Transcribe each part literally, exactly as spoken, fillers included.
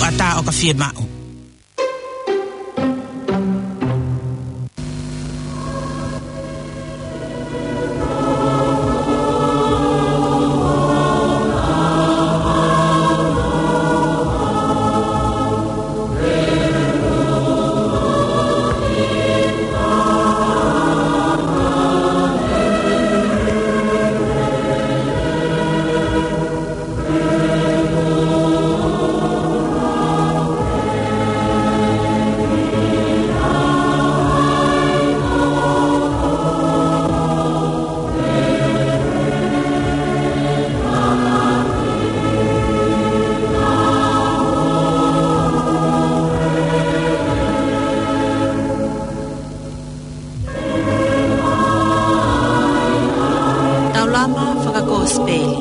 ʻatā ʻo ka fiemaʻu. Taulama fakakosipeli.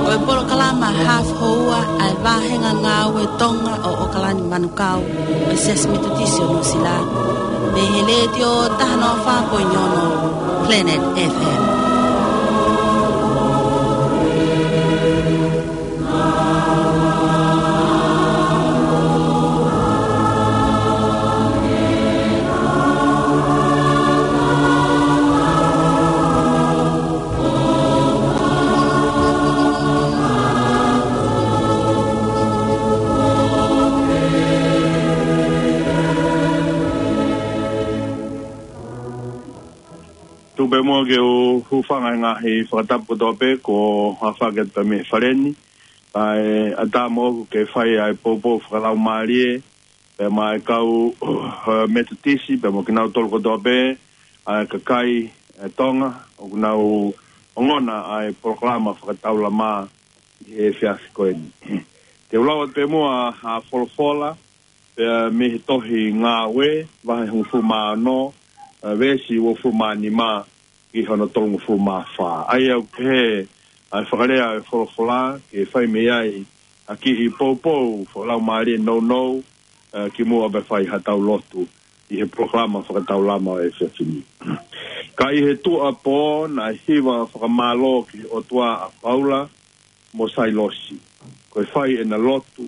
Ko e polokalama hafu houa ʻa e vāhenga ngāue Tonga ʻo ʻOkalani Manukau, ʻo e Siasi Metotisi ʻo Nuʻusila, mei he Letiō taha noa fā poini ono Planet F M. Tuku pē muʻa ke u hūfanga he ngaahi fakatapu kotoa pē kuo aofaki atu pē mei he fale ni. Kae ʻatā moʻoku ke fai ʻa e poupou fakalaumālie pea mo e kau, eh, Metotisi, pea mo kinautolu kotoa pē ʻa e kakai, eh, Tonga ʻoku nau ongona ʻa e polokalama fakataulama ʻi he efiafi ko eni. Te u lau atu pē muʻa ʻa e folofola, pea mei he tohi Ngāue, vahe hongofulu mā ono, eh, veesi uofulu mā nima ki hono tolungofulu mā fā. ʻA ia ʻoku pehē ʻa e fakalea ʻo e folofola, ke fai mei ai ʻa e kiʻi poupou fakalaumālie nounou, eh, kimuʻa pea fai haʻatau lotu ʻi he polokalama fakataulama ʻo e efiafi ni. Ka ʻi he tuʻuapō naʻe hiva fakamālō ki he ʻOtua ʻa Paula mo Sailosi, ko e fai ʻena lotu,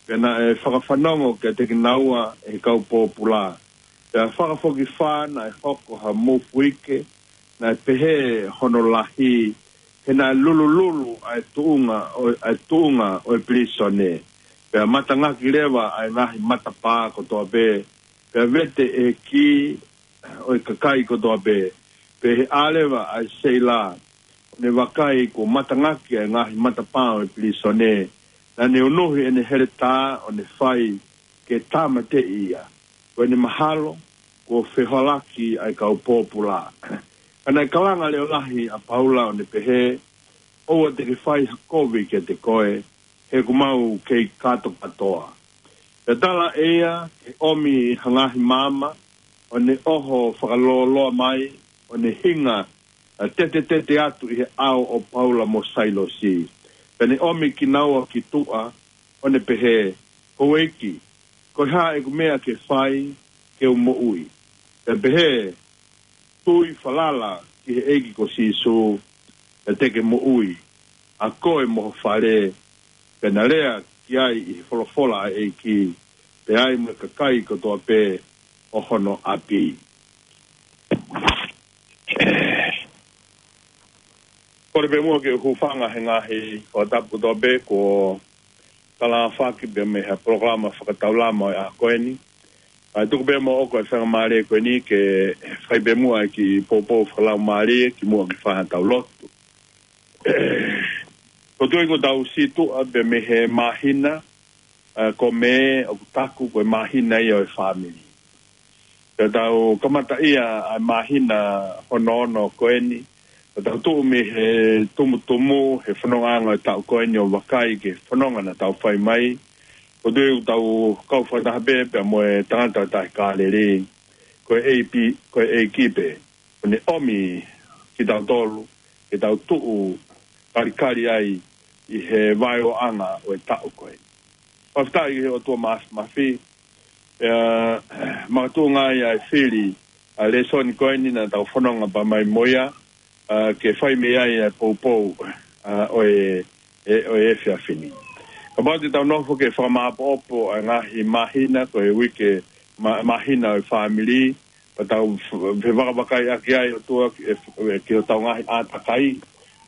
pea naʻe fakafanongo kiate kinaua ʻe he kau pōpula. Pea fakafokifā naʻe hoko ha mūfuike, naʻe pehē hono lahi, he naʻe lulululu ʻa e tuʻunga ʻo, ʻa e tuʻunga ʻo e pilīsone. Pea matangaki leva ʻa e ngaahi matapā kotoa pē, pea vete ʻe he kī ʻo e kakai kotoa pē, pea ʻi he ʻā leva ʻa e seila ʻo ne vakai kuo matangaki ʻa e ngaahi matapā ʻo e pilīsone, naʻa ne unuhi ʻene heletā ʻo ne fai ke tāmateʻi ia. Ko ʻene mahalo kuo fehoalaki ʻa e kau pōpula. Ka naʻe kalanga leʻo lahi ʻa Paula ʻo ne pehē, ʻoua te ke fai ha kovi kiate koe, he ʻoku mau kei kātokātoa. Pea tala ʻe ia ke ʻomi ha ngaahi maama, ʻo ne ʻoho fakalōloa mai, ʻo ne hinga, ʻa, tetetete atu ʻi he ʻao ʻo Paula mo Sailosi. Pea ne ʻomi kinaua ki tuʻa, ʻo ne pehē, Houʻeiki, ko e hā ʻeku meʻa ke fai ke u moʻui? Pea pehē, Tui falala ki he ʻEiki ko Sīsū, pea te ke moʻui, ʻa koe mo ho fale. Pea na lea ki ai ʻi he folofola ʻa e ʻEiki, pea ai mo e kakai kotoa pē ʻo hono ʻapi. Kole pē muʻa ke u hūfanga he ngaahi fakatapu kotoa pē kuo talaʻofa ki pē mei he polokalama fakataulama ʻo e ʻaho ko eni. Kae tuku pē moʻoku ʻa e faingamālie ko eni ke fai pē muʻa e kiʻi poupou fakalaumālie kimuʻa ke fai haʻatau lotu. ʻOku ou tui kuo tau situʻa pē mei he māhina, ʻa, ko Mē, ʻoku taku ko e māhina ia ʻo e fāmili. Pea tau kamataʻia ʻa e māhina hono ono ko eni. Pea tau tuʻu mei he tumutumu he fonongaʻanga ʻo e taʻu ko eni ʻo vakai ki he fononga naʻa tau fai mai. ʻOku ou tui kuo tau kau fakataha pē pea mo e tangata ʻo e Tahi Kāleli. Ko e ʻEiki, ko e ʻEiki pē ʻo ne ʻomi kitautolu ke tau tuʻu kalikali ai ʻi he vaeoʻanga ʻo e taʻu ko eni. Fakafetaʻi ki he ʻOtua Māfimafi, ʻa, makatuʻunga ai ʻa e fili ʻa e lēsoni ko eni naʻa tau fononga pē mai mo ia, ʻa, ke fai mei ai ʻa e poupou, ʻa, ʻo e, e, ʻo e efiafi ni. Kapau te tau nofo ke fakamāʻopoʻopo ʻa e ngaahi māhina, ko e uike ma-, māhina ʻo e fāmili, pea tau f-, fevakavakai ʻaki ai ʻOtua ki, e f-, e ki hotau ngaahi ʻātakai,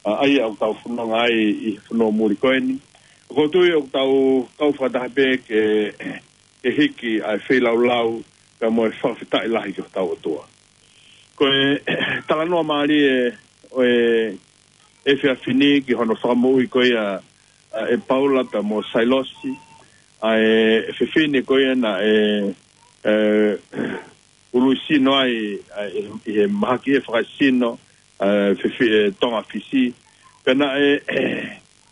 ʻa, ʻa ia ʻoku tau fononga ai ʻi he fonua muli ko eni. ʻOku ou tui ʻoku tau kau fakataha pē ke, ke hiki ʻa e feilaulau, pea mo e fakafetaʻi lahi ki hotau ʻOtua. Ko e talanoa mālie ʻo e efiafi ni ki hono fakamoʻui ko ia ʻa e Paula pea mo Sailosi, ʻa e fefine ko ia naʻe, e, ului sino ai, ʻa e, ʻi he mahaki ʻe fakaesino, ʻa e fefi-, e Tonga Fisi. Pea naʻe,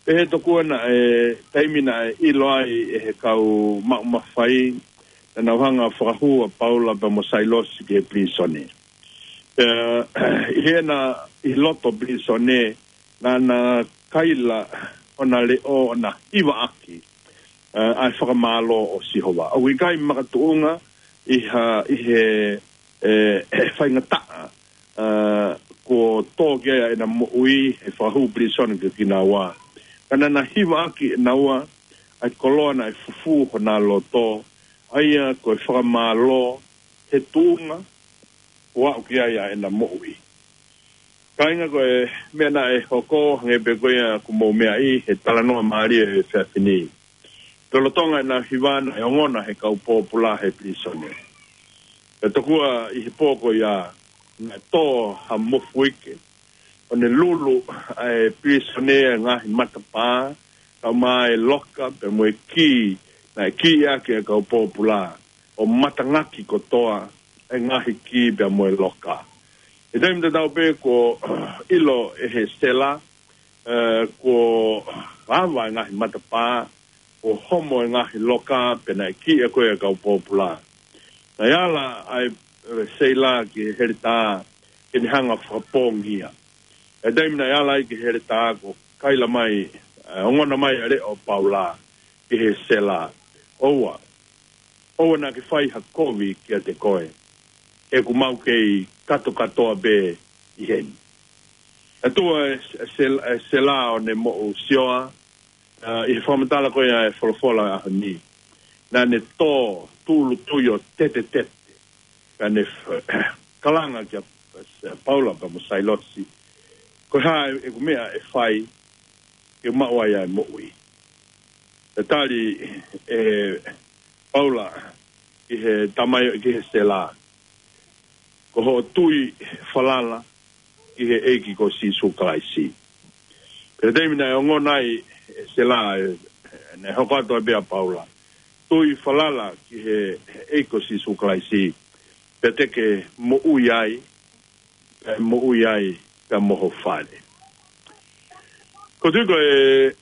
pehē tokua naʻe taimi naʻe ʻilo ai ʻe he kau maʻu mafai, naʻa nau hanga fakahū ʻa Paula pea mo Sailosi ki he pilīsone. Pea, ʻi heʻena, ʻi loto pilīsone, naʻa na kaila ʻo na leʻo ʻo na hivaʻaki, ʻa, ʻa e fakamālō ʻo Sihova. ʻOku ʻikai makatuʻunga ʻi ha, ʻi he, e, faingataʻa, ʻa, kuo tō ki ai ʻena moʻui he fakahū pilīsone kiate kinaua. Ka naʻa na hivaʻaki ʻe naua ʻa e koloa naʻe fufū hona loto, ʻa ia ko e fakamālō he tuʻunga kuo aʻu ki ai ʻa ʻena moʻui. Kāinga, ko e meʻa naʻe hoko, hangē pē ko ia kuo mou meaʻi, he talanoa mālie ʻo e efiafi ni. Pea lolotonga ʻena hiva naʻe ongona ʻe he kau pōpula he pilīsone. Pea tokua ʻi he pō ko ia naʻe tō ha mofuike ʻo ne lulu ʻa e pilīsone ʻa e ngaahi matapā, kae ʻumaʻā e loka, pea mo e kī naʻe kī ʻaki ʻe he kau pōpula, ʻo matangaki kotoa ʻa e ngaahi kī pea mo e loka. ʻI he taimi tatau pē kuo ʻilo ʻe he sela, e, kuo ava ʻa e ngaahi matapā, kuo homo ʻa e ngaahi loka, pea naʻe kī ʻaki ʻe he kau pōpula. Naʻe ala ʻa e, e, seila ki he heletā ke ne hanga ʻo fakapōngi ia. ʻI he taimi naʻe ala ai ki he heletā, kuo kaila mai, e, ongona mai ʻa e leʻo ʻo Paula ki he sela: ʻOua, ʻoua naʻa ke fai ha kovi kiate koe, he ʻoku mau kei katokatoa pē ʻi heni. Naʻe tuʻu ʻa e, e sel-, e sela ʻo ne moʻu sioa, ʻa, ʻi he fakamatala ko ia ʻa e folofola ʻo e ʻaho ni. Naʻa ne tō tūʻulutui ʻo tetetete, ka ne f-, kalanga kia Paula pea mo Sailosi: Ko e hā ʻeku meʻa ʻe fai ke maʻu ai ʻa e moʻui? Pea tali ʻe Paula ki he tamai, ki he sela: Ko hoʻo tui falala ki he ʻEiki ko Sīsū Kalaisi. Pea taimi naʻe ongona ai ʻe he sela, e, naʻe hoko atu ai pē ʻa Paula: Tui falala ki he ʻEiki ko Sīsū Kalaisi, pea te ke moʻui ai, pea moʻui ai pea mo ho fale. ʻOku ou tui ko e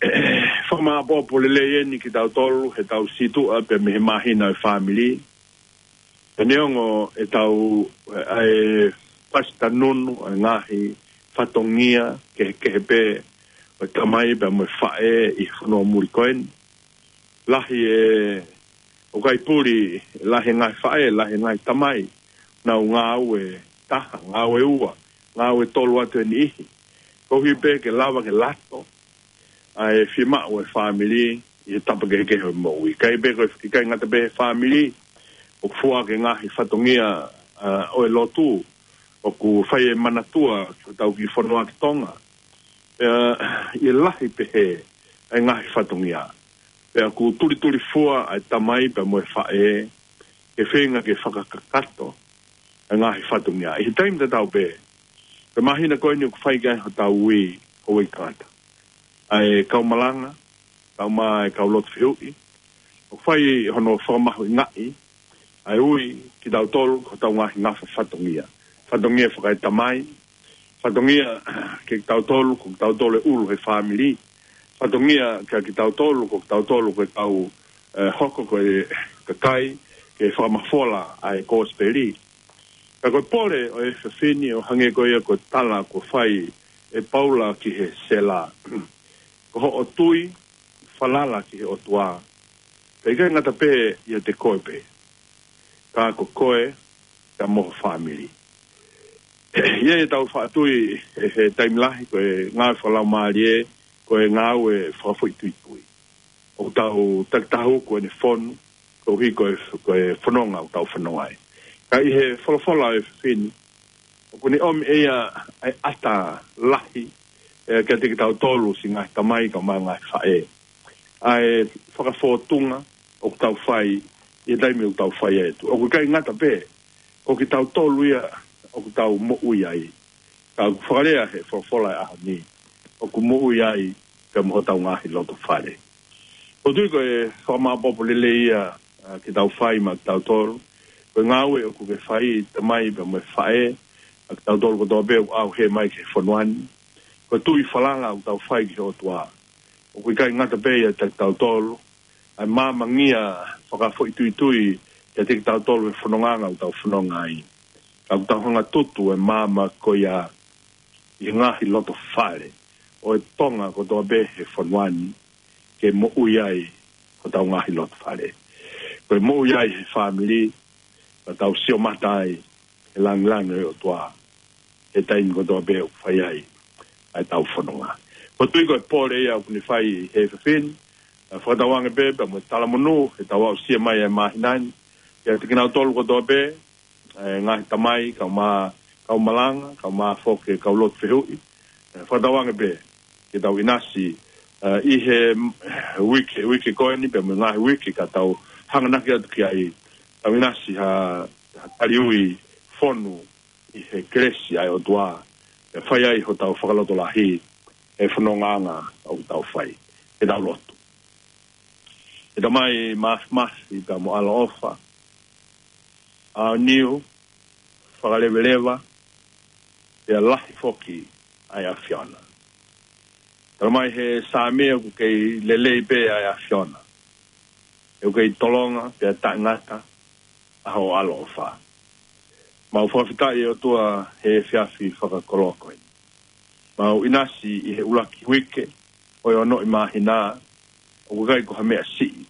fakamāʻopoʻopo lelei eni kiate kitautolu heʻetau situʻa pea mei he māhina ʻo e fāmili. Pea neongo ʻetau, ʻa e fasitanunu ʻa e ngaahi fatongia kehekehe pē ʻo e tamai pea mo e faʻē ʻi he fonua muli ko eni. Lahi e, ʻoku ʻikai puli, lahi e ngaahi faʻē, lahi e ngaahi tamai, nau ngāue taha, ngāue ua, ngāue tolu atu e niʻihi, koeʻuhi pē ke lava ke lato ʻa e fiemaʻu ʻa e fāmili ʻi he tapa kehekehe ʻo e moʻui. ʻIkai pē ko e, ʻikai ngata pē he fāmili, ʻoku foaki e ngaahi fatongia, ʻa, ʻo e lotu, ʻoku fai e manatua ki hotau kiʻi fonua ki Tonga. Pea ʻi he lahi pehē ʻa e ngaahi fatongia, pea ʻoku tulitulifua ʻa e tamai pea mo e faʻē ke feinga ke fakakakato ʻa e ngaahi fatongia. ʻI he taimi tatau pē, ko e māhina ko eni ʻoku fai ki ai hotau ui, houʻeiki tangata, ʻa e kau malanga, kae ʻumaʻā e kau lotu fehuʻi, ʻoku fai hono fakamahuʻingaʻi ʻa e ui kitautolu ko hotau ngaahi ngafa fatongia. Fatongia fakaetamai, fatongia kiate kitautolu, ko kitautolu e ʻulu he fāmili. Fatongia kiate kitautolu, ko kitautolu ko e kau, e, hoko ko e kakai ke fakamafola ʻa e kosipeli. Ka ko e pole ʻo e efiafi ni ʻo hangē ko ia ko e tala kuo fai ʻe Paula ki he sela: Ko hoʻo tui falala ki he ʻOtua, pea ʻikai ngata pē ʻiate koe pē, ka ko koe pea mo ho fāmili. ʻI heʻetau faʻa tui he, he taimi lahi, ko e ngāue fakalaumālie, ko e ngāue fakafoʻituitui. ʻoku tau takitaha hū ko ʻene fonu, koeʻuhi ko e, ko e fononga ʻoku tau fononga ai. Ka ʻi he folofola ʻa e efiafi ni, ʻoku ne ʻomi ʻe ia ʻa e ʻata lahi, ē, kiate kitautolu siʻi ngaahi tamai kae ʻumaʻā e ngaahi faʻē. ʻA e fakafōtunga ʻoku tau fai, ʻi he taimi ʻoku tau fai ai ʻa e tuʻa. ʻOku ʻikai ngata pē, ko kitautolu ia ʻoku tau moʻui ai. Ka ʻoku fakalea he folofola ʻo e ʻaho ni, ʻoku moʻui ai pea mo hotau ngaahi loto fale. ʻOku ou tui ko e fakamāʻopoʻopo lelei ia, ā, ke tau fai maʻa kitautolu. Ko e ngāue ʻoku ke fai, tamai pea mo e faʻē, ʻa kitautolu kotoa pē ʻoku ʻaʻau hē mai ki he fonua ni. Ko e tui falala ʻoku tau fai ki he ʻOtua. ʻOku ʻikai ngata pē ia kiate kitautolu, ʻa e māmangia fakafoʻituitui kiate kitautolu he fononga ʻoku tau fononga ai. Ka ʻoku tau hanga ʻo tutu e maama ko ia ʻi he ngaahi loto fale ʻo e Tonga kotoa pē he fonua ni, ke moʻui ai hotau ngaahi loto fale. Ko e moʻui ai he fāmili, ka tau sio mata ai he lāngilangi ʻo e ʻOtua he taimi kotoa pē ʻoku fai ai ʻa ʻetau fononga. ʻOku ou tui ko e pole ia ʻoku ne fai he efiafi ni, ā, fakatauange pē pea mo e talamonū heʻetau aʻusia mai ʻa e māhina ni kiate kinautolu kotoa pē, ē, ngaahi tamai, kau mā, kau malanga, kau mā foki, kau lotu fehuʻi. Ē, fakatauange pē ke tau ʻinasi, ā, ʻi he, mm, uike, uike ko eni pea mo e ngaahi uike ka tau hanganaki atu ki ai, tau ʻinasi ha, ha taliui fonu ʻi he kelesi ʻa e ʻOtua, ʻe fai ai hotau fakalotolahi he fonongaʻanga ʻoku tau fai. Ke tau lotu. ʻE Tamai māfimafi pea mo ʻaloʻofa, ʻaoniu, fakaleveleva, pea lahi foki ʻa e ʻAfiona. Talamai he Saame ʻoku kei lelei pē ʻa e ʻAfiona. ʻOku kei tolonga pea taʻengata ʻa hoʻo ʻaloʻofa. Mau fakafetaʻi ʻe ʻOtua he efiafi fakakoloa ko eni. Mau ʻinasi ʻi he ʻuluaki uike ʻo e onoʻi māhina, ʻoku ʻikai ko ha meʻa siʻi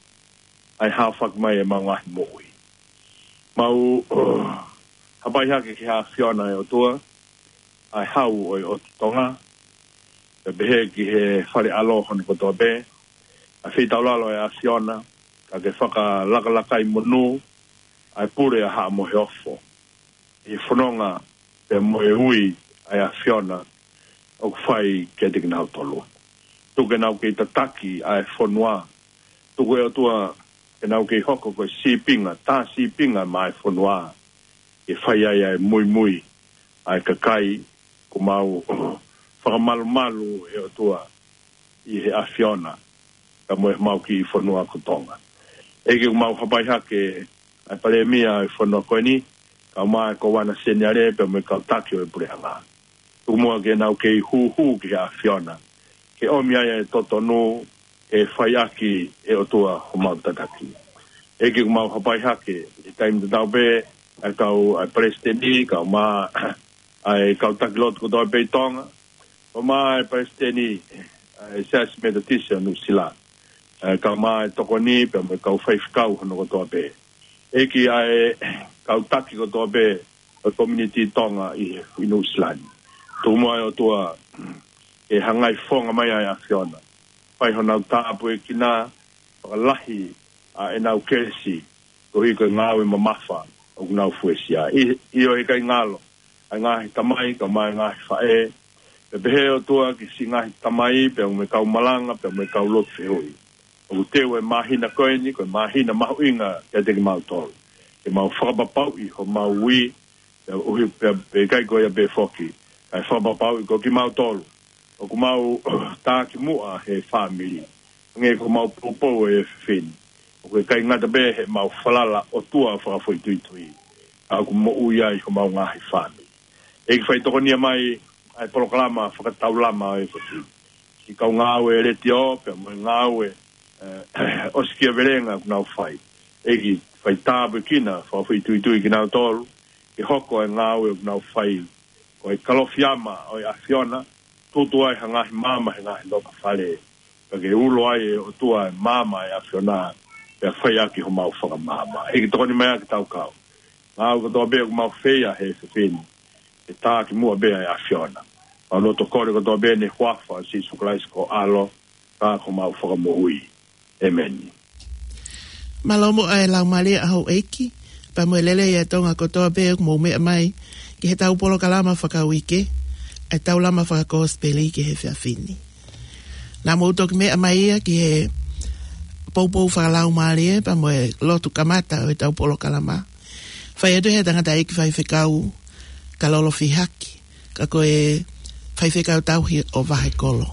ʻa e haofaki mai ʻemau ngaahi moʻui. Mau hapai hake ki he ʻAfiona ʻe ʻOtua, ʻa e hau ʻo e ʻOtu Tonga, pea pehē ki he fale ʻalo hono kotoa pē, ʻa e feitaulalo ʻa e ʻAfiona, ka ke fakalakalakai monū ʻa e pule ʻa Haʻa Moheofo ʻi he fononga pea mo e ui ʻa e ʻAfiona ʻoku fai kiate kinautolu. Tuku ke nau kei tataki ʻa e fonua. Tuku ʻe ʻOtua ke nau kei hoko ko e sīpinga, tā sīpinga maʻa e fonua, ke fai ai ʻa e muimui ʻa e kakai. ʻOku mau fakamalumalu ʻe ʻOtua ʻi he ʻAfiona, ka mo e mau kiʻi fonua ko Tonga. ʻEiki, ʻoku mau hapai hake ʻa e Palēmia ʻo e fonua ko eni, kau mā e Kōvana Seniale pea mo e kau taki ʻo e puleʻanga. Tuku muʻa ke nau kei hūhū ki he ʻAfiona, ke ʻomi ai e totonu, ke fai ʻaki ʻe ʻOtua homau tataki. ʻEiki, ʻoku mau hapai hake ʻi he taimi tatau pē ʻa e kau, ʻa e Palesiteni, kau mā ʻa e kau taki lotu kotoa pē ʻi Tonga, kau mā e Palesiteni ʻa e Siasi Metotisi ʻo Nuʻusila, ʻa e kau mā e tokoni pea mo e kau faifekau hono kotoa pē. ʻEiki, ʻa e kau taki kotoa pē ʻo e community Tonga ʻi, ʻi Nuʻusila ni. Tuku muʻa ʻe ʻOtua ke hangai fofonga mai ʻa e ʻAfiona, fai honau tāpuekina, fakalahi ʻa ʻenau kelesi, koeʻuhi ko e ngāue mamafa ʻoku nau fuesia. ʻI, ʻio, he ʻikai ngalo ʻa e ngaahi tamai, kau mā e ngaahi faʻē, pea pehē ʻe ʻOtua ki he siʻi ngaahi tamai, pea mo e kau malanga, pea mo e kau lotu fehuʻi. ʻOku teu e māhina ko eni ko e māhina mahuʻinga kiate kimautolu, ke mau fakapapauʻi homau ui, pea ʻuhi, pea, pea ʻikai ko ia pē foki, kae fakapapauʻi ko kimautolu ʻoku mau takimuʻa he fāmili. Hangē ko homau poupou ʻi he efiafi ni, ʻoku ʻikai ngata pē heʻemau falala ʻOtua fakafoʻituitui, ka ʻoku moʻui ai homau ngaahi fāmili. ʻEiki, fai tokonia mai ʻa e polokalama fakataulama ʻo e efiafi ni, siʻi kau ngāue letiō pea mo e ngāue, ē, ʻosikiavelenga ʻoku nau fai. ʻEiki, fai tāpuekina fakafoʻituitui kinautolu, ke hoko e ngāue ʻoku nau fai ko e kalofiama ʻo e ʻAfiona, tutu ai ha ngaahi maama he ngaahi loto fale, pea ke ulo ai ʻe ʻOtua e maama ʻa e ʻAfiona, pea fai ʻaki homau fakamaama. ʻEiki, tokoni mai ʻa e kau taki, ngāue kotoa pē ʻoku mau fai ʻi he efiafi ni, ke takimuʻa pē ʻa e ʻAfiona. Mau loto kole kotoa pē ʻi he huafa ʻo Sīsū Kalaisi ko ho ʻAlo, ka ko homau Fakamoʻui. ʻEmeni. Mālō muʻa e laumālie ʻa houʻeiki, pea mo e lelei ʻa e Tonga kotoa pē ʻoku mou meʻa mai ki heʻetau polokalama fakauike, ʻa e Taulama Fakakosipeli ki he efiafi ni. Naʻa mou toki meʻa mai ia ki he poupou fakalaumālie, pea mo e lotu kamata ʻo ʻetau polokalama. Fai atu ʻe he tangataʻeiki faifekau, Kalolo Fihaki, ka ko e faifekau tauhi ʻo Vahekolo.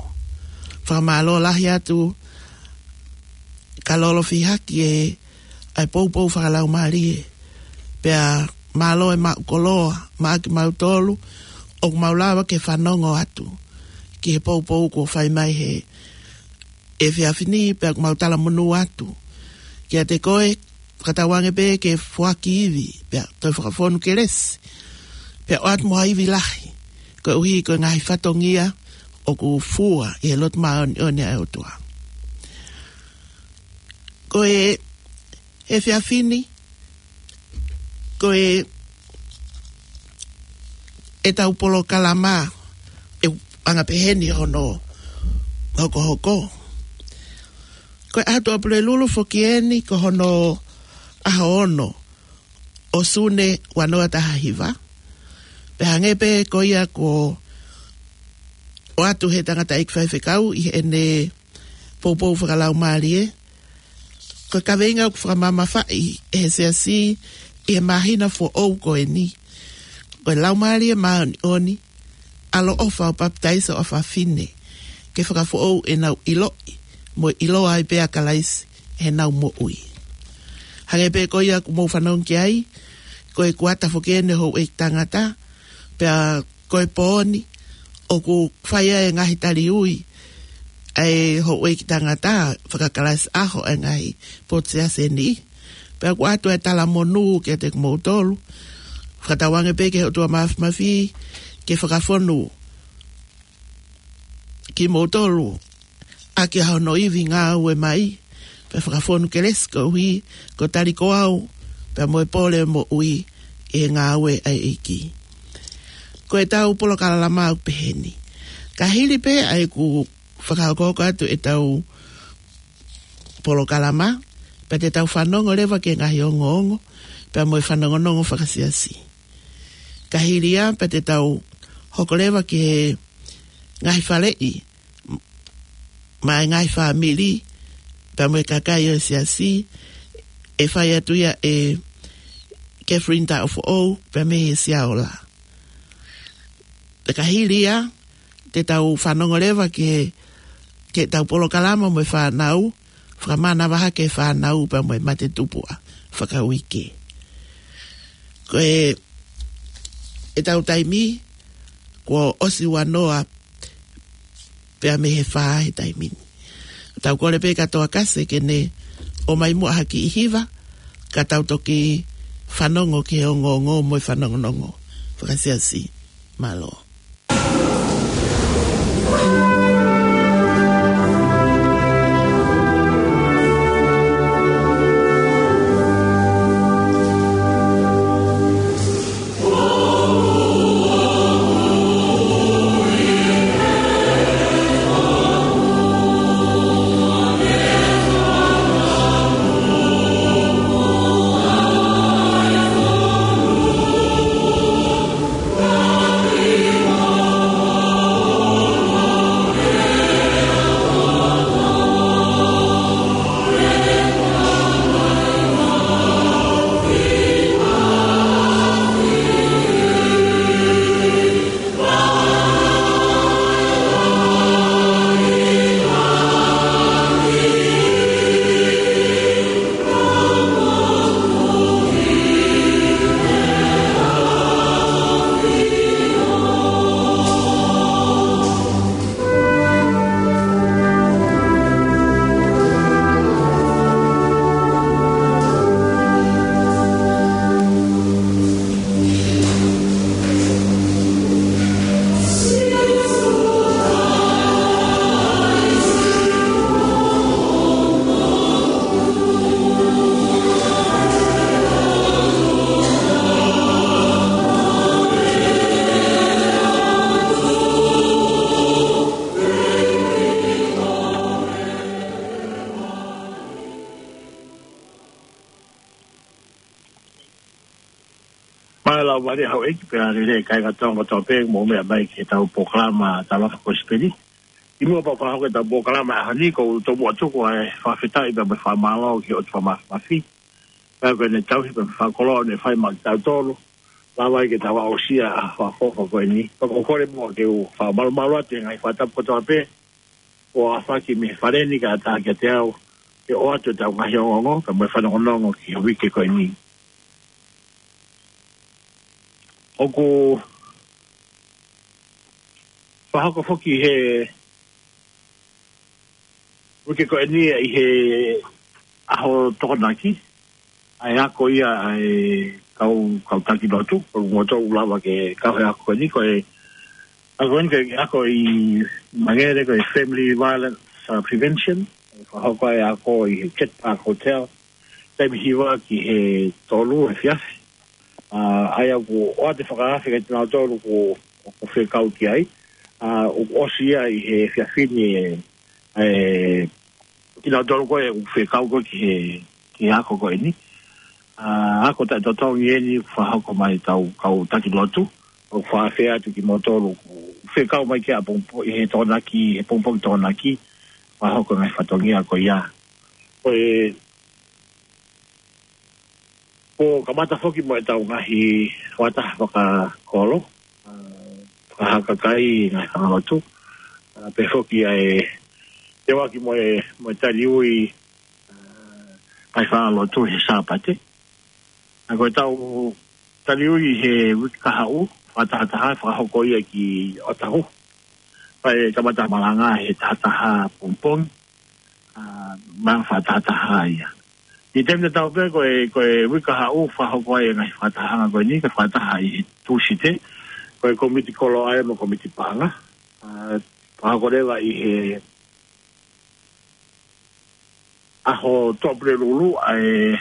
Fakamālō lahi atu, Kalolo Fihaki, ʻa e poupou fakalaumālie. Pea mālō e maʻu koloa maʻa kimautolu ʻoku mau lava ke fanongo atu ki he poupou kuo fai mai he efiafi ni, pea ʻoku mau talamonū atu kiate koe, fakatauange pē ke foaki ivi, pea toe fakafonu kelesi, pea ʻoatu mo ha ivi lahi, koeʻuhi ko e ngaahi fatongia ʻoku fua ʻi he lotu māʻoniʻoni ʻa e ʻOtua. Ko e efiafi ni, ko e, ʻetau polokalama, ʻe anga pehē ni hono hokohoko. Ko e ʻaho Tuʻapulelulu foki eni, ko hono ʻaho ono ʻo Sune ua noa taha hiva. Pea hangē pē ko ia kuo ʻoatu ʻe he tangataʻeiki faifekau ʻi heʻene poupou fakalaumālie, ko e kaveinga ʻoku fakamamafaʻi ʻe he Siasi ʻi he māhina foʻou ko eni, ko e Laumālie Māʻoniʻoni, ʻaloʻofa ʻo papitaiso ʻa fafine, ke fakafoʻou ʻenau ʻiloʻi mo ʻiloa ai pē ʻa Kalaisi ʻi heʻenau moʻui. Hangē pē ko ia ʻoku mou fanongo ki ai, ko e kuata foki eni ʻo e houʻeiki tangata, pea ko e pō ni ʻoku fai ai e ngaahi tali ui ʻa e houʻeiki tangata fakakalasi ʻaho ʻa e ngaahi potu siasi ni. Pea ʻoku ʻoatu e talamonū kiate kimoutolu, fakatauange pē ki he ʻOtua Mafimafi ke fakafonu kimoutolu ʻaki ʻa hono ivi ngāue mai, pea fakafonu kelesi koeʻuhi ko e tali ko au, pea mo e pole moʻui ʻi he ngāue ʻa e ʻEiki. Ko ʻetau polokalama ʻoku pehē ni. Ka hili pē ʻa ʻeku fakahokohoko atu ʻetau polokalama, pea te tau fanongo leva ki he ngaahi ongoongo, pea mo e fanongonongo fakasiasi. Ka hili ia, pea te tau hoko leva ki he ngaahi faleʻi maʻa e ngaahi fāmili, pea mo e kakai ʻo e siasi, ʻe fai atu ia ʻe Catherine Taʻofoʻou, pea mei he Siaola. Pea ka hili ia, te tau fanongo leva ki he, ki heʻetau polokalama mo e fānau, fakamanavahē ki he fānau pea mo e matetupuʻa fakauike. Ko e, ʻetau taimi, kuo ʻosi ua noa pea mei he fā he taimi ni. Tau kole pē kia Toa Kase ke ne ʻomai muʻa ha kiʻi hiva, ka tau toki fanongo ki he ongoongo mo e fanongonongo fakasiasi. Mālō. Ka lau mali hau eki pea lele kai ka tonga tope mo mea mai ke tau polokalama tau lafa ko sipeli. I mua pau fakahoko e tau polokalama a hani ko u tomu atu ko e fakafetaʻi pea mo e fakamālō ki he ʻOtua Māfimafi. Pea ko ʻene tauhi pea mo e fakakoloa ʻoku ne fai maʻa kitautolu. Lava ai ke tau aʻusia ʻa e fakafofa ko eni. Pea ko u kole muʻa ke u fakamalumalu atu he ngaahi fakatapu kotoa pē. ʻO afaki mei he fale ni kae ʻatā kiate au ke ʻoatu e tau ngaahi ongoongo, pea mo e fanongonongo ki he uike ko eni. ʻOku fakahoko foki he uike ko eni ʻi he ʻaho Tokonaki, ʻa e ako ia ʻa e kau, kau taki lotu, ko e moto ʻoku lava ke kau he ako ko eni, ko e ako ko eni ko e ako ʻi Mangere ko e Family Violence, uh, Prevention, fakahoko e ako ʻi he Jet Park Hotel, taimi hiva ki he tolu he efiafi. Uh, ʻa ia ʻoku ʻoatu e fakaafe kiate kinautolu ʻoku, ʻoku fekau ki ai, uh, ʻoku ʻosi ia ʻi he efiafi ni e, e kinautolu ko ē ʻoku fekau ko ē ki he, ki he ako ko eni. ʻA, ako taʻetotongi eni fakahoko mai tau kau taki lotu. ʻOku fakaafe atu kimoutolu ʻoku fekau mai ki ʻapongipongi, he Tokonaki, he pongipongi Tokonaki, fakahoko e ngaahi fatongia ko ia. Ko e, ʻoku kamata foki mo e tau ngaahi fakataha fakakolo, ʻa, fakahakakai ngaahi fanga lotu. ʻA, pehē foki ʻa e teuaki mo e, mo e taliui, ʻa, ngaahi fanga lotu he Sāpate. ʻA, ko e tau taliui he uike kahaʻu, fakatahataha, fakahoko ia ki ʻOtahuhu. Pea ʻe kamata malanga he tahataha pongipongi, ʻa, malanga fakatahataha ia. ʻI he taimi tatau pē ko e, ko e uike kahaʻu fakahoko ai e ngaahi fakatahaʻanga ko eni, ko e fakataha ʻi he Tūsite, ko e komiti kolo ʻa ia mo e komiti paʻanga. ʻA, fakahoko leva ʻi he ʻaho Tuʻapulelulu, ʻa e,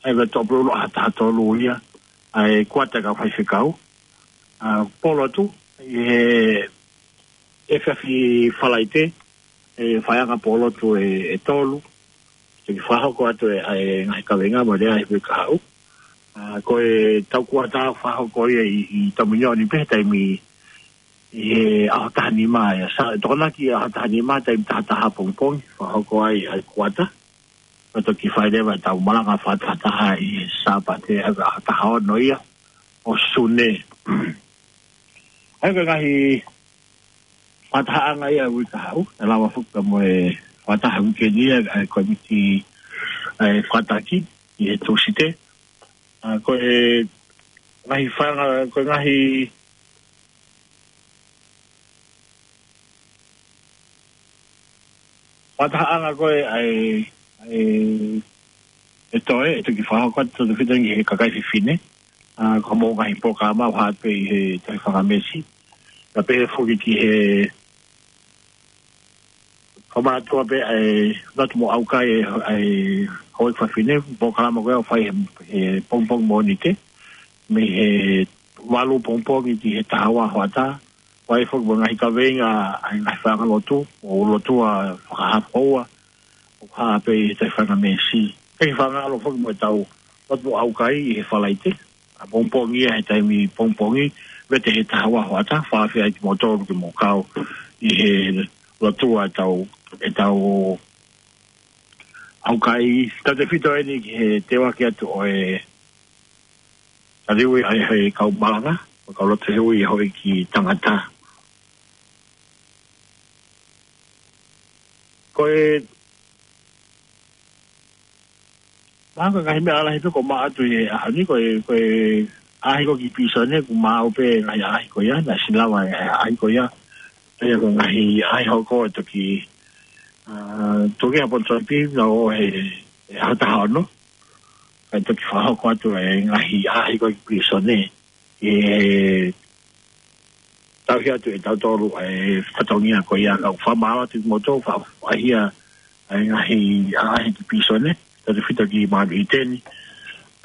ʻa e Tuʻapulelulu ʻaho taha tolu ia, ʻa e kuata kau faifekau. ʻA, pōlotu, ʻi he efiafi Falaite, ʻe faiʻanga pōlotu ʻe, ʻe tolu, toki fakahoko atu e, ʻa e ngaahi kaveinga mo e lea he uike kahaʻu. ʻA, ko e tau kuata fakahoko ia ʻi, ʻi Tamunioni pē taimi ʻi he ʻaho taha nima ia. Sa, Tokonaki ʻaho taha nima taimi tahataha pongipongi, fakahoko ai ʻa e kuata. Pea toki fai leva e tau malanga fakatahataha ʻi he Sāpate ʻa e ʻaho taha ono ia ʻo Sune. ʻA ia ko e ngaahi fakatahaʻanga ia uike kahaʻu, ʻe lava foki pea mo e fakataha uike ni ia, ʻa e komiti, ʻa e fakataki ʻi he Tūsite. ʻA, ko e ngaahi fanga, ko e ngaahi fakatahaʻanga ko ē ʻa e, ʻa e, ʻe toe, ʻe toki fakahoko atu tautefito ki he kakai fefine. ʻA, ko hoʻomou ngaahi polokalama ʻoku hā pē ʻi he Taifanga Meesi. Pea pehē foki ki he fakamātuʻa pē ʻa e lotu mo ʻaukai ʻa e, ʻa e houʻeiki fafine, polokalama ko ē ʻoku fai he, he pongipongi Mōnite. Mei he valu pongipongi ki he taha ua hoʻatā. Fai foki mo e ngaahi kaveinga ʻa e ngaahi fanga lotu, ʻo lotua fakahafoua, ʻoku hā pē ʻi he Taifanga Meesi. Kei fakaʻalo foki mo e tau lotu ʻaukai ʻi he Falaite. ʻA pongipongi ia he taimi pongipongi, vete he taha ua hoʻatā, fakaafe ai kimoutolu ke mou kau ʻi he lotua ʻetau, ʻetau ʻaukai, tautefito eni ki he teuaki atu ʻo e taliui ʻa e, ʻa e kau malanga, ʻo e kau lotu he ui ʻa e houʻeiki tangata. Ko e, mahalo ko e ngaahi meʻa lalahi pē ʻoku maʻu atu ʻi he ʻaho ni, ko e, ko e ʻaʻahi ko ē ki pilīsone, ʻoku maʻu pē ngaahi ʻaʻahi ko ia, naʻe ʻosi lava e ʻaʻahi ko ia. ʻA ia ko e ngaahi ʻaʻahi hoko ʻe toki, ʻa, toki ʻa Ponson P, naʻe ʻi he, he ʻaho taha ono. Kae toki fakahoko atu e ngaahi ʻaʻahi ko ē ki pilīsone. ʻE tauhi atu ʻe tautolu e fatongia ko ia, ka ʻoku fakamālō atu kimoutolu, fa-, faʻahi ʻa e ngaahi ʻaʻahi ki pilīsone, tautefito ki Manu ʻIteni,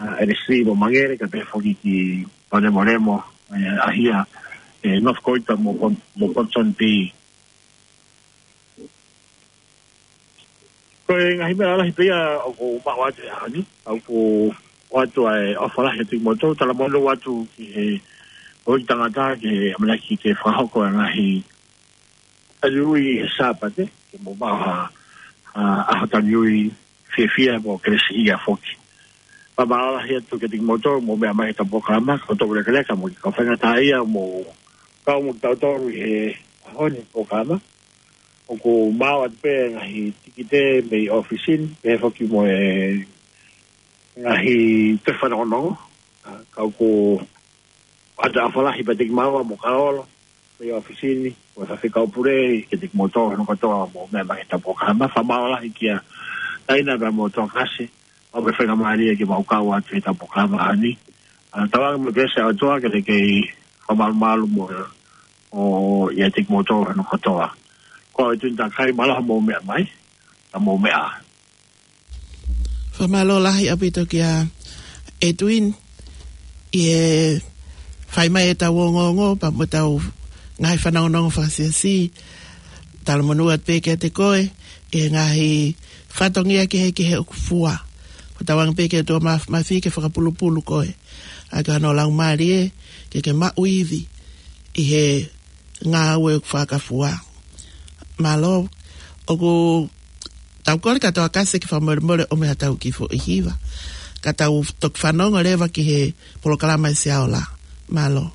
ʻa, ʻElesi mo Mangere, kae pehē foki ki Palemolemo, ʻe, ʻaʻahi ʻa, ʻe, North Koita mo Pon-, mo Ponson P. Ko e ngaahi meʻa lalahi pē ia ʻoku maʻu atu he ʻaho ni, ʻoku ʻoatu ʻa e ʻofa lahi atu kiate kimoutolu, talamonū atu ki he houʻeiki tangata ki he ʻamanaki ke fakahoko e ngaahi taliui he Sāpate, ke mou maʻu ha, ha ʻaho taliui fiefia mo kelesiʻia foki. Fakamālō lahi atu kiate kimoutolu, mou meʻa mai he ʻetau polokalama, kau tau lekeleka mo e kau faingataʻaʻia, mou kau mo kitautolu he ʻaho ni polokalama. ʻOku maau atu pē ngaahi tikite mei ʻōfisi ni, pehē foki mo e ngaahi tohi fanongonongo. ʻA, kau ko ata afalahi pea te ki maua mo kaolo, mei ʻōfisi ni, mo e faifekau pule, kiate kimoutolu hono kotoa mou meʻa mai he ʻetau polokalama. Fakamālō lahi kia Taina pea mo Tokasi, ʻo e faingamālie ke mau kau atu he ʻetau polokalama ʻaho ni. ʻA, tauange mo e kelesi ʻa e ʻOtua ke ne kei fakamalumalu mo, ʻo, ʻiate kimoutolu hono kotoa. Ko e tuʻunga takai mālō hoʻomou meʻa mai, ka mou meʻa. Fakamālō lahi ʻaupito kia Edwin, ʻi he fai mai ʻetau ongoongo, pea mo ʻetau ngaahi fanongonongo fakasiasi, talamonū atu pē kiate koe, ʻi he ngaahi fatongia kehekehe ʻoku fua. Ko e tauange pē ke ʻOtua Maf-, Mafimafi ke fakapulupulu koe. ʻA e kau ʻa hono Laumālie, ke ke maʻu ivi, ʻi he ngāue ʻoku fakafua. Mālō, ʻoku tau kole kia Tokasi ke fakamolemole ʻo meʻa ʻetau kiʻi foʻi hiva. Ka tau toki fanongo leva ki he polokalama ʻa e Sia Ola. Mālō.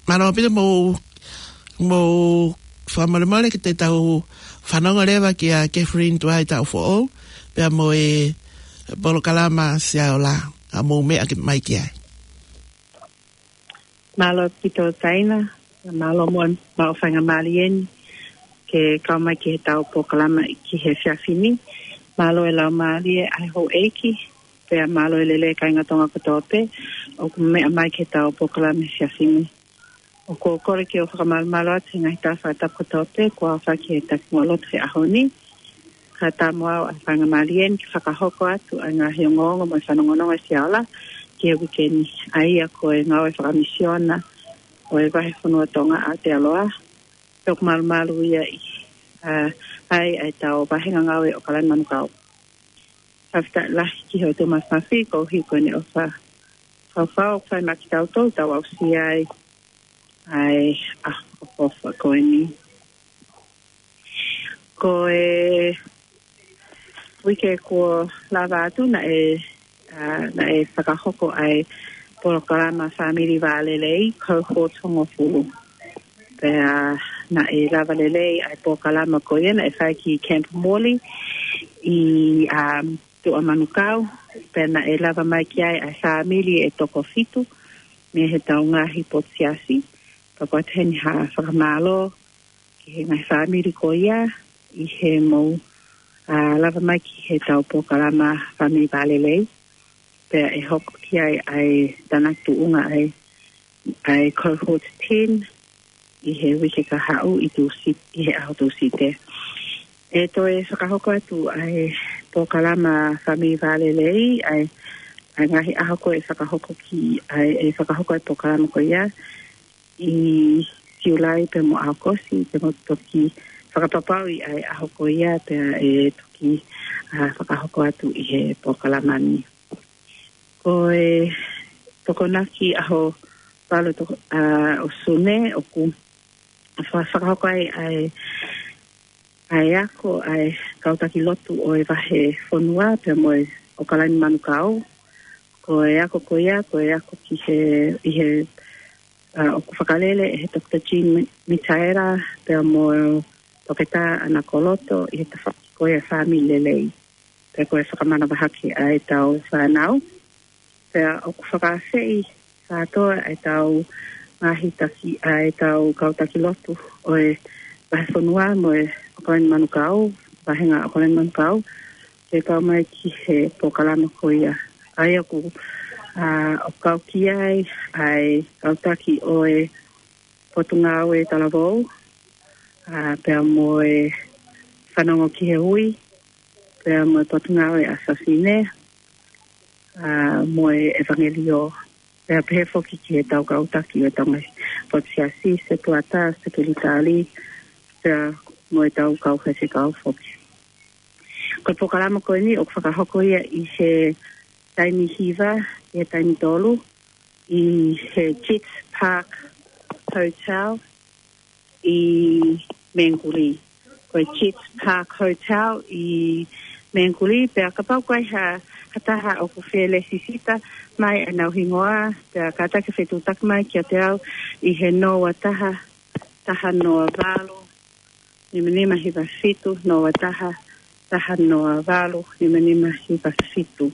Mālō ʻaupito, mou, mou fakamolemole ke te tau fanongo leva kia Catherine Tuaitaufoʻou, pea mo e polokalama Sia Ola, ʻa mou meʻa mai ki ai. Mālō ʻaupito Taina, mālō mo e maʻu faingamālie ni ke kau mai ki heʻetau polokalama ki he efiafi ni. Mālō e laumālie ʻa e houʻeiki, pea mālō e lelei kāinga Tonga kotoa pē ʻoku meʻa mai ki heʻetau polokalama he efiafi ni. ʻOku ou kole ke u fakamalumalu atu he ngaahi tala fakatapu kotoa pē kuo aofaki he takimuʻa lotu he ʻaho ni. Kae ʻatā mo au ʻa e faingamālie ni ke fakahoko atu ʻa e ngaahi ongoongo mo e fanongonongo ʻa e Sia Ola ki he uike ni, ʻa ia ko e ngāue fakamisiona ʻo e Vahefonua Tonga ʻa Aotearoa. Pea ʻoku malumalu ia ʻi, ʻa, ai ʻa ʻetau vāhenga ngāue ʻo ʻAokalani Manukau. Fakafetaʻi lahi ki he ʻOtua Mafimafi koeʻuhi ko ʻene ʻofa faufaua ʻoku fai maʻa kitautolu, tau aʻusia ai ʻa e ʻaho fakaʻofoʻofa ko eni. Ko e uike kuo lava atu naʻe, ā, naʻe fakahoko ai polokalama fāmili vālelei, Cohort Hongofulu. Pea naʻe lava lelei ai polokalama ko ia naʻe fai ki Camp Morley ʻi, ā, Tuʻa Manukau. Pea naʻe lava mai ki ai ʻa e fāmili ʻe toko fitu mei he tau ngaahi potu siasi. Pea ko e taha eni ha fakamālō ki he ngaahi fāmili ko ia ʻi he mou, ā, lava mai ki he tau polokalama fāmili vālelei. Pea ʻe hoko ki ai ʻa e tānaki tuʻunga ʻa e, ʻa e Cohort ten ʻi he uike kahaʻu ʻi Tūsi-, ʻi he ʻaho Tūsite. ʻE toe fakahoko atu ʻa e polokalama fāmili vālelei, ʻa e, ʻa e ngaahi ʻaho ko ē ʻe fakahoko ki, ʻa e, ʻe fakahoko ʻa e polokalama ko ia ʻi Siulai pea mo ʻAokosi, pea mou toki fakapapauʻi ʻa e ʻaho ko ia pea ʻe toki, ā, fakahoko atu ʻi he polokalama ni. Ko e Tokonaki ʻAho Valu toko-, ā, ʻo Sune ʻoku fa-, fakahoko ai ʻa e, ʻa e ako ʻa e kau taki lotu ʻo e vahefonua pea mo e ʻOkalani Manukau. Ko e ako ko ia, ko e ako ki he, ʻi he, ā, ʻoku fakalele ʻe he Toketā Jean Mi-, Mitaela pea mo Toketā Ana Koloto ʻi he tafaʻaki ko ia fāmili lelei. Pea ko e fakamanavahaki ʻa e tau fānau. Pea ʻoku fakaafeʻi kātoa ʻa e tau ngaahi taki, ʻa e tau kau taki lotu ʻo e vahefonua mo e ʻOkalani Manukau, vahenga ʻOkalani Manukau, ke kau mai ki he polokalama ko ia. ʻA ia ʻoku, ā, ʻoku kau ki ai ʻa e kau taki ʻo e Potungāue Talavou, ā, pea mo e Fanongo ki he Hui, pea mo e Potungāue ʻa Fafine, ā, mo e ʻEvangeliō. Pea pehē foki ki he tau kau taki ʻo e tau ngaahi potu siasi, setuata, sekelitali, pea mo e tau kau faifekau foki. Ko e polokalama ko eni ʻoku fakahoko ia ʻi he taimi hiva, ʻi he taimi tolu, ʻi he Jets Park Hotel ʻi Mangere. Ko e Jets Park Hotel ʻi Mangere, pea kapau ko e hā, ha taha ʻoku fie lēsisita mai ʻenau hingoa, pea kātaki fetuʻutaki mai kiate au ʻi he noa taha, taha noa valu, nima nima hiva fitu, noa taha, taha noa valu, nima nima hiva fitu.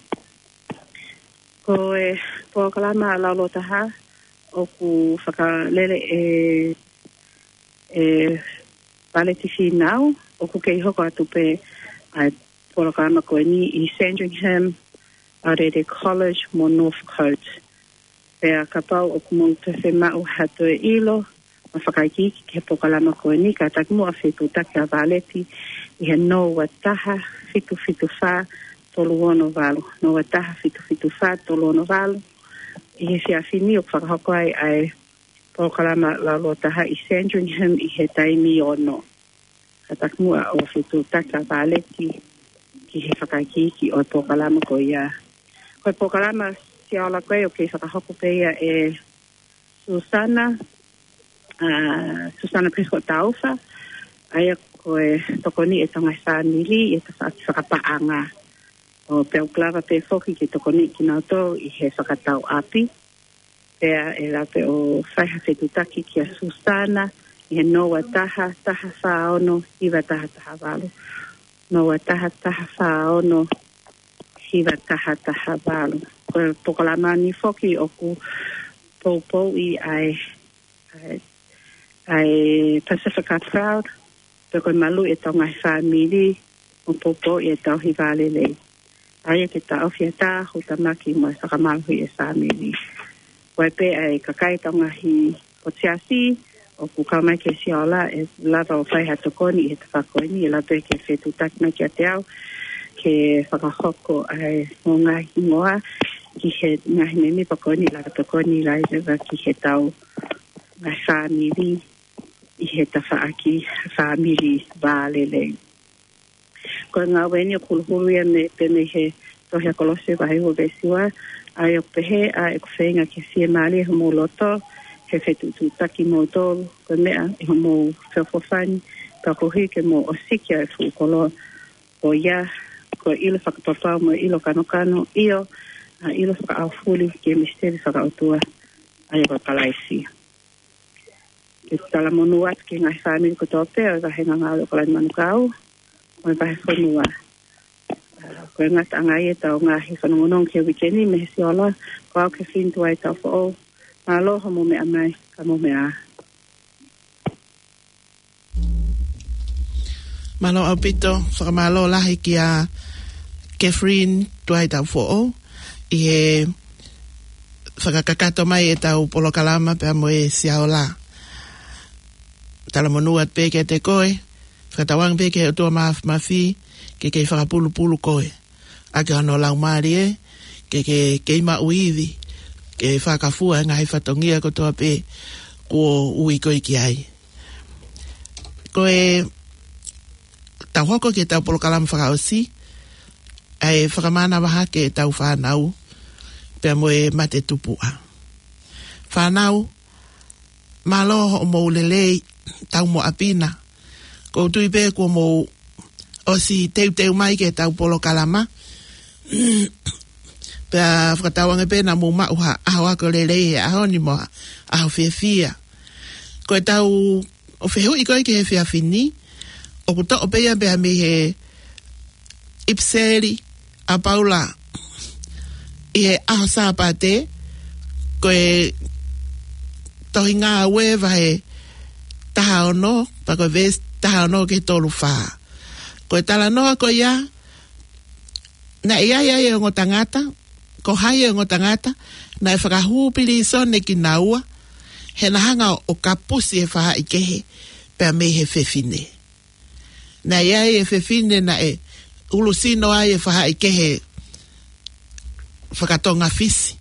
Ko e polokalama laulototaha ʻoku fakalele ʻe, ʻe Valeti Fīnau, ʻoku kei hoko atu pē ʻa e polokalama ko eni ʻi Sandringham, Aorere College mo Northcote. Pea kapau ʻoku mou toe fiemaʻu ha toe ʻilo mo fakaikiiki ki he polokalama ko eni, kātaki muʻa fetuʻutaki ʻa Valeti ʻi he noa taha fitu fitu fā tolu ono valu, noa taha fitu fitu fā tolu ono valu. ʻI he efiafi ni ʻoku fakahoko ai ʻa e polokalama laulototaha ʻi Sandringham ʻi he taimi ono. Kātaki muʻa ʻo fetuʻutaki ʻa Valeti ki he fakaikiiki ʻo e polokalama ko ia. Ko e polokalama Siaola ko ē ʻoku kei fakahoko pē ia ʻe Susana, ā, Susana Prescott Taufa, ʻa ia ko e tokoni ʻa e tau ngaahi fāmili ʻi he tafaʻaki fakapaʻanga. ʻO pea ʻoku lava pē foki ke tokoniʻi kinautolu ʻi he fakatau ʻapi. Pea ʻe lava pē ʻo fai ha fetuʻutaki kia Susana ʻi he noa taha, taha fā ono, hiva taha taha valu. Noa taha, taha fā ono, hiva taha taha valu. Ko e polokalama ni foki ʻoku poupouʻi ʻa e, ʻa e, ʻa e Pasifika Proud, pea ko e maluʻi ʻa e tau ngaahi fāmili, mo poupouʻi ʻa e tauhi vālelei. ʻA ia ke taʻofi ʻa e tahu tamaki mo e fakamālohiʻi ʻa e fāmili. Ko e pē ʻa e kakai tau ngaahi potu siasi ʻoku kau mai ki he Siaola ʻe lava ʻo fai ha tokoni ʻi he tafaʻaki ko eni, ʻe lava pē ke fetuʻutaki mai kiate au ke fakahoko ʻa e ngaahi hingoa ki he ngaahi mēmipa ko eni, lava tokoni leva ki he tau ngaahi fāmili ʻi he tafaʻaki fāmili vālelei. Ko e ngāue ni ʻoku huluhulu ia mei, pē mei he tohi ʻa Kolose vahe ua veesi ua, ʻa ia ʻoku pehē, ʻa ʻeku feinga ke fiemālie homou loto, he fetuʻutuʻutaki kimoutolu, ko e meʻa ʻi homou feʻofoʻofani, Ka ko hiki mo ʻosiki ʻa e fuʻu koloa ko ia, ko e ʻilo fakapapau mo e ʻilo kanokano, ʻio, ʻa e ʻilo fakaʻaufuli ki he misiteli fakaʻotua ʻa ia ko Kalaisi. Ke talamonū atu ki he ngaahi fāmili kotoa pē ʻo e vahenga ngāue ʻo ʻAokalani Manukau, ʻo e vahefonua. Ko e ngataʻanga ia ʻetau ngaahi fanongonongo ki he uike ni mei he Siola, ko au Kefilini Tuaitaufoʻou. Mālō hoʻomou meʻa mai, ka mou meʻa ā. Mālō ʻaupito, fakamālō lahi kia Kefilini Tuaitaufoʻou ʻi he fakakakato mai ʻetau polokalama pea mo e Siola. Talamonū atu pē kiate koe, fakatauange pē ki he ʻOtua Māfimafi ke kei fakapulupulu koe ʻaki hono Laumālie, ke ke kei maʻu ivi, ke fakafua e ngaahi fatongia kotoa pē kuo ui koe ki ai. Ko ʻetau hoko ki heʻetau polokalama fakaʻosi, ʻa e fakamānava hake ʻetau fānau pea mo e mate tupuʻa. Fānau, mālō hoʻomou lelei, tau mo ʻapina. ʻOku ou tui pē kuo mou ʻosi teuteu mai ki heʻetau polokalama. Pea fakatauange pē naʻa mou maʻu ha ʻaho ako lelei he ʻaho ni mo ha ʻaho fiefia. Ko ʻetau fehuʻi ko ē ki he efiafi ni, ʻoku toʻo pē ia pea mei he ʻipiseli ʻa Paula ʻi he ʻaho Sāpate, ko e tohi Ngāue vahe taha ono, pea ko e veesi taha ono ki he tolu fā. Ko e talanoa ko ia, naʻe ʻi ai ʻa e ongo tangata, ko hai e ongo tangata naʻe fakahū pilīsone kinaua, he na hanga ʻo kapusi e faʻahikehe pea mei he fefine. Naʻe ʻi ai e fefine naʻe ulusino ai e faʻahikehe fakatonga Fisi.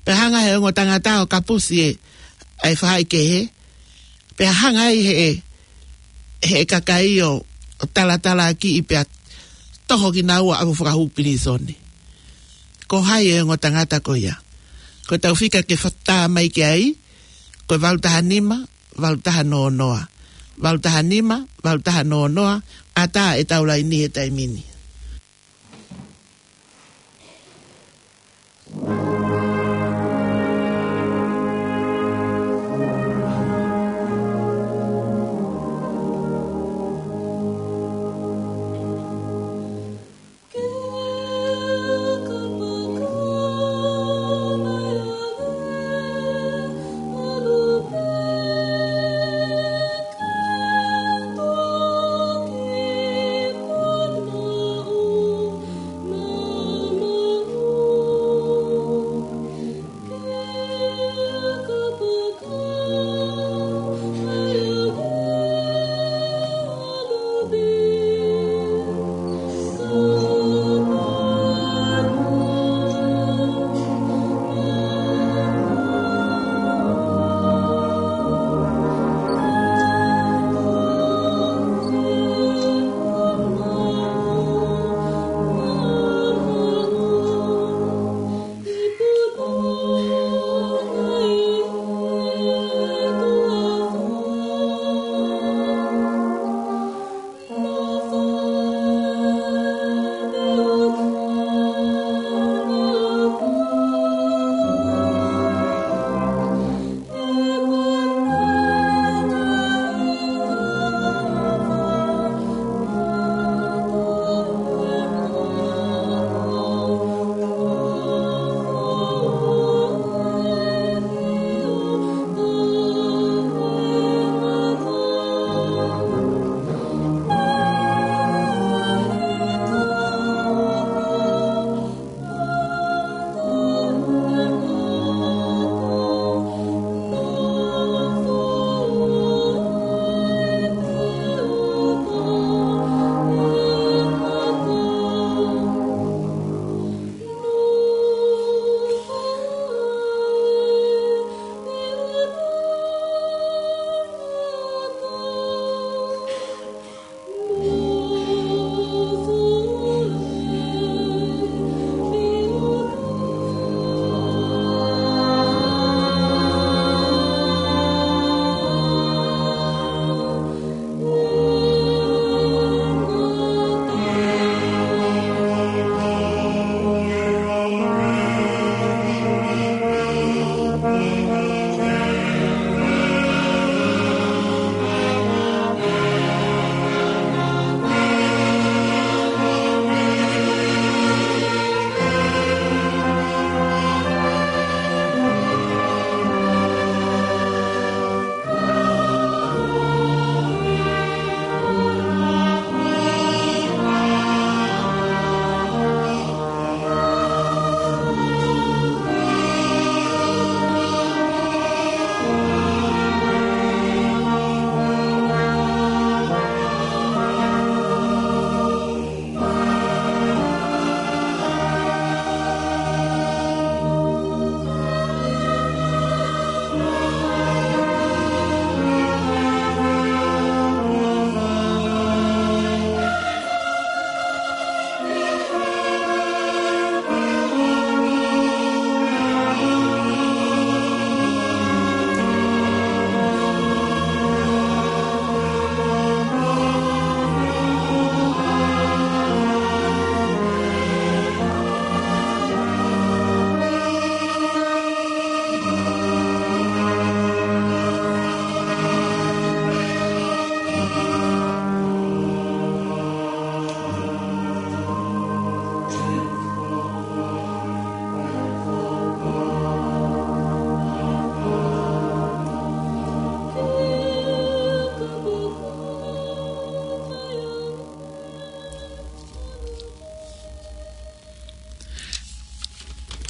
Pea hanga he ongo tangata ʻo kapusi e, ʻa e faʻahikehe. Pea hanga ai he, he kakai ʻo, ʻo talatalakiʻi pea toho kinaua ʻo fakahū pilīsone. Ko hai e ongo tangata ko ia? Ko ʻetau fika ke fata mai ki ai, ko e valu taha nima, valu taha noa noa. Valu taha nima, valu taha noa noa, ʻatā ʻetau laini he taimi ni.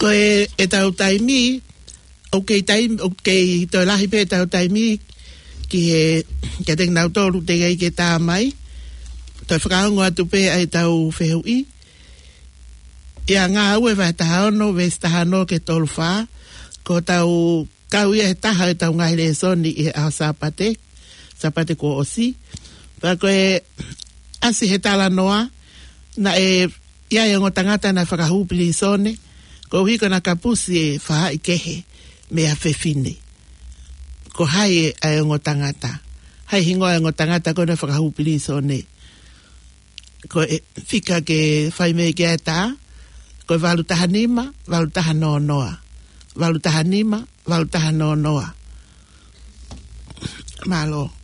Ko e, ʻetau taimi, ʻoku kei taimi, ʻoku kei toe lahi pē ʻetau taimi ki he, kiate kinautolu teʻeki ai ke tā mai. Toe fakaongo atu pē ʻa ʻetau fehuʻi. ʻI he Ngāue vahe taha ono, veesi taha ono ki he tolu fā, ko ʻetau kau ia he taha ʻetau ngaahi lēsoni ʻi he ʻaho Sāpate, Sāpate kuo ʻosi. Pea ko e ʻasi he talanoa, naʻe ʻi ai e ongo tangata naʻe fakahū pilīsone, koeʻuhi ko ʻena kapusi e faʻahikehe mei ha fefine. Ko hai ʻa e ongo tangata? Hai hingoa e ongo tangata ko ē naʻe fakahū pilīsone? Ko e fika ke fai mei ai e tā, ko e valu taha nima, valu taha noa noa. Valu taha nima, valu taha noa noa. Mālō.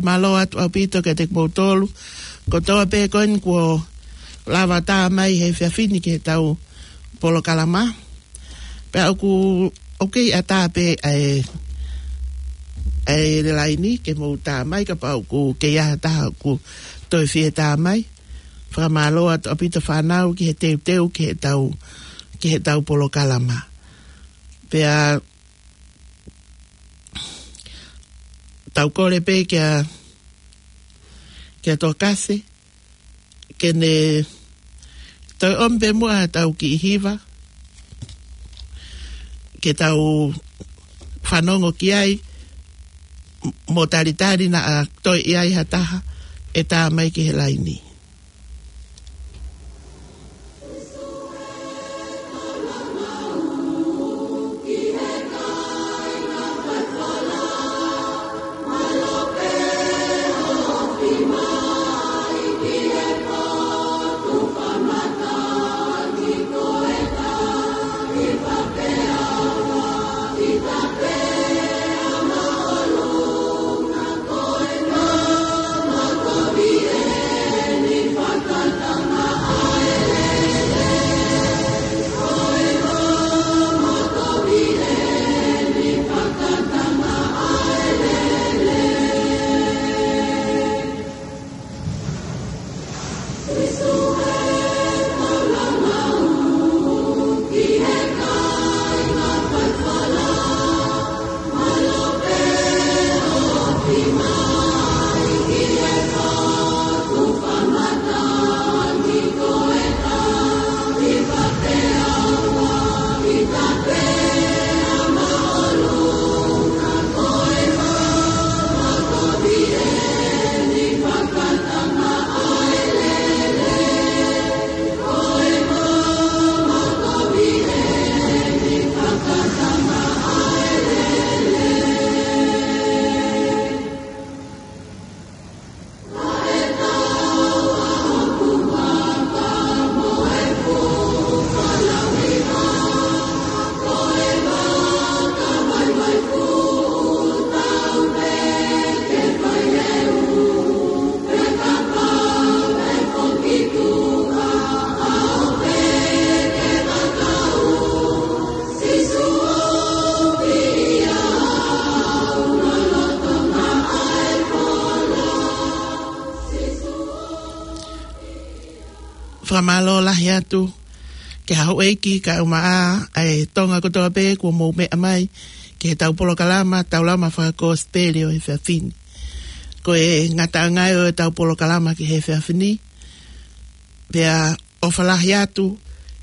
Fakamālō atu ʻaupito kiate kimoutolu kotoa pē ko eni kuo lava tā mai he efiafi ni ki heʻetau polokalama. Pea ʻoku, ʻoku kei ʻatā pē ʻa e, ʻa e laini ke mou tā mai, kapau ʻoku kei ʻi ai ha taha ʻoku toe fie tā mai. Fakamālō atu ʻaupito fānau ki he teuteu ki heʻetau, ki heʻetau polokalama. Pea tau kole pē kia, kia Tokasi, ke ne toe ʻomi pē muʻa ʻetau kiʻi hiva, ke tau fanongo ki ai, mo talitali naʻa toe ʻi ai ha taha ʻe tā mai ki he laini. Fakamālō lahi atu ki he houʻeiki kae ʻumaʻā ʻa e Tonga kotoa pē kuo mou meʻa mai ki heʻetau polokalama Taulama Fakakosipeli ʻo e efiafi ni. Ko e ngataʻanga ia ʻo ʻetau polokalama ki he efiafi ni. Pea ʻofa lahi atu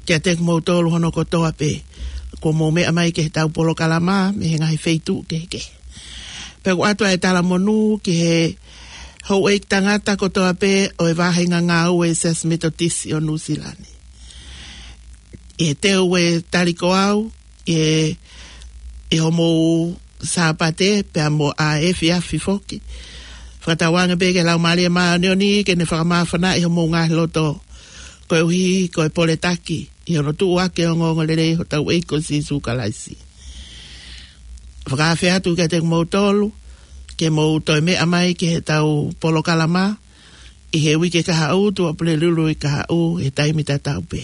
kiate kimoutolu hono kotoa pē kuo mou meʻa mai ki heʻetau polokalama mei he ngaahi feituʻu kehekehe. Pea ʻoku ʻoatu ʻa e talamonū ki he houʻeiki tangata kotoa pē ʻo e vāhenga ngāue ʻa e Siasi Metotisi ʻo Nuʻusila ni. ʻI he teu ʻe tali ko au, ʻi he, ʻi hoʻomou Sāpate, pea mo e efiafi foki. Fakatauange pē ki he Laumālie Māʻoniʻoni ke ne fakamāfanaʻi homou ngaahi loto. Koeʻuhi ko e poletaki ʻi hono tuʻuaki ʻo e ongoongolelei ʻa hotau ʻEiki ko Sīsū Kalaisi. Fakaafe atu kiate kimoutolu ke mou toe meʻa mai ki heʻetau polokalama ʻi he uike kahaʻu, Tuʻapulelulu ʻi kahaʻu, he taimi tatau pē.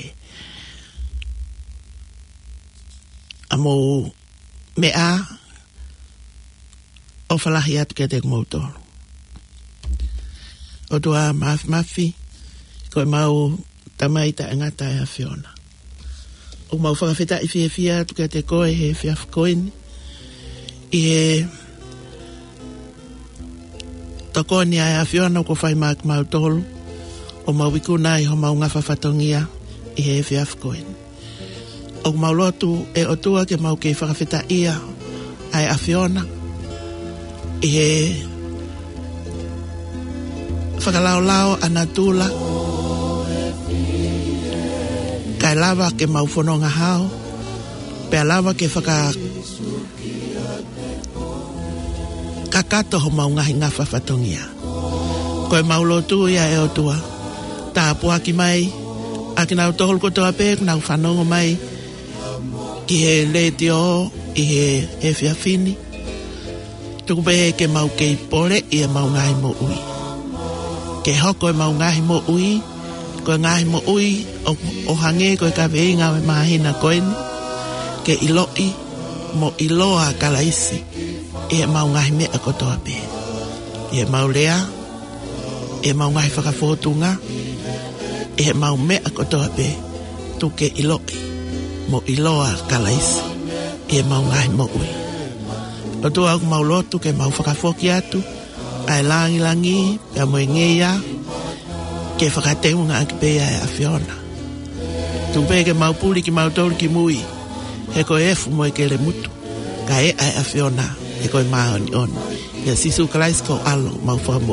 ʻA mou meʻa, ʻofa lahi atu kiate kimoutolu. ʻOtua Mafimafi, ko ʻemau Tamai taʻengata ʻa e ʻAfiona. ʻOku mau fakafetaʻi fiefia atu kiate koe he efiafi ko eni. ʻI he tokoni ʻa e ʻAfiona kuo fai maʻa kimautolu, ʻo mau ikuna ʻi homau ngafa fatongia ʻi he efiafi ko eni. ʻOku mau lotu ʻe ʻOtua ke mau kei fakafetaʻia ʻa e ʻAfiona ʻi he fakalaolao ʻa natula, kae lava ke mau fononga hao, pea lava ke fakakakato homau ngaahi ngafa fatongia. Ko ʻemau lotu ia ʻe ʻOtua, tāpuaki mai ʻa kinautolu kotoa pē ʻoku nau fanongo mai ki he letiō ʻi he efiafi ni. Tuku pē ke mau kei poleʻi ʻemau ngaahi moʻui. Ke hoko ʻemau ngaahi moʻui ko e ngaahi moʻui ʻo, ʻo hangē ko e kaveinga ʻo e māhina ko eni, ke ʻiloʻi mo ʻiloa ʻa Kalaisi ʻi heʻemau ngaahi meʻa kotoa pē. ʻI heʻemau lea, ʻi heʻemau ngaahi fakafōtunga, ʻi heʻemau meʻa kotoa pē, tuku ke ʻiloʻi mo ʻiloa ʻa Kalaisi ʻi heʻemau ngaahi moʻui. ʻOtua, ʻoku mau lotu ke mau fakafoki atu ʻa e langilangi pea mo e ngeia ke fakateungaʻaki pē ʻa e ʻAfiona. Tuku pē ke mau puli kimautolu ki mui, he ko e efu mo e kelemutu, kae ʻa e ʻAfiona, he ko e māʻoniʻoni. ʻIa Sīsū Kalaisi ko ho ʻAlo, mau fakamoʻui.